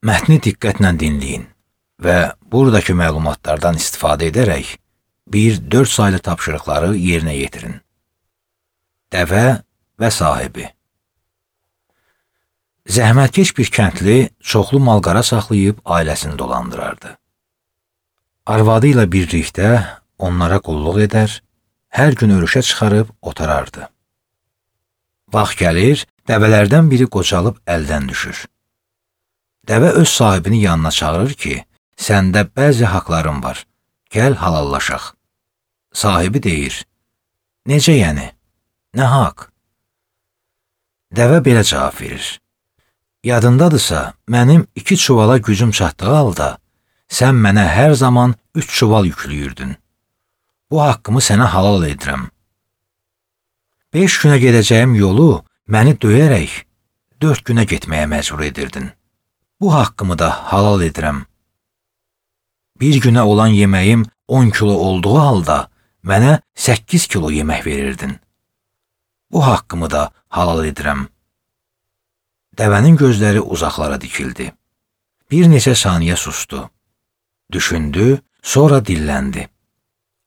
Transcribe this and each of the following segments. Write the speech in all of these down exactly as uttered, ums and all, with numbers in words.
Mətni diqqətlə dinləyin və buradakı məlumatlardan istifadə edərək bir dörd saylı tapşırıqları yerinə yetirin. Dəvə və sahibi. Zəhmətkeş bir kəndli çoxlu malqara saxlayıb ailəsini dolandırardı. Arvadı ilə birlikdə onlara qulluq edər, hər gün örüşə çıxarıb otarardı. Vaxt gəlir, dəvələrdən biri qocalıb əldən düşür. Dəvə öz sahibini yanına çağırır ki, səndə bəzi haqların var, gəl halallaşaq. Sahibi deyir, necə yəni, nə haqq? Dəvə belə cavab verir, yadındadırsa, mənim iki çuvala gücüm çatdığı halda, sən mənə hər zaman üç çuval yüklüyürdün. Bu haqqımı sənə halal edirəm. Beş günə gedəcəyim yolu məni döyərək dörd günə getməyə məcbur edirdin. Bu haqqımı da halal edirəm. Bir günə olan yeməyim on kilo olduğu halda mənə səkkiz kilo yemək verirdin. Bu haqqımı da halal edirəm. Dəvənin gözləri uzaqlara dikildi. Bir neçə saniyə sustu. Düşündü, sonra dilləndi.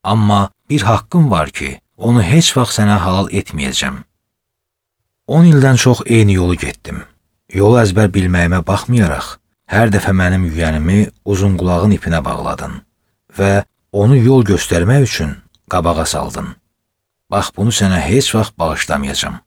Amma bir haqqım var ki, onu heç vaxt sənə halal etməyəcəm. on ildən çox eyni yolu getdim. Yolu əzbər bilməyimə baxmayaraq, hər dəfə mənim yüyənimi uzun qulağın ipinə bağladın və onu yol göstərmək üçün qabağa saldın. Bax, bunu sənə heç vaxt bağışlamayacam.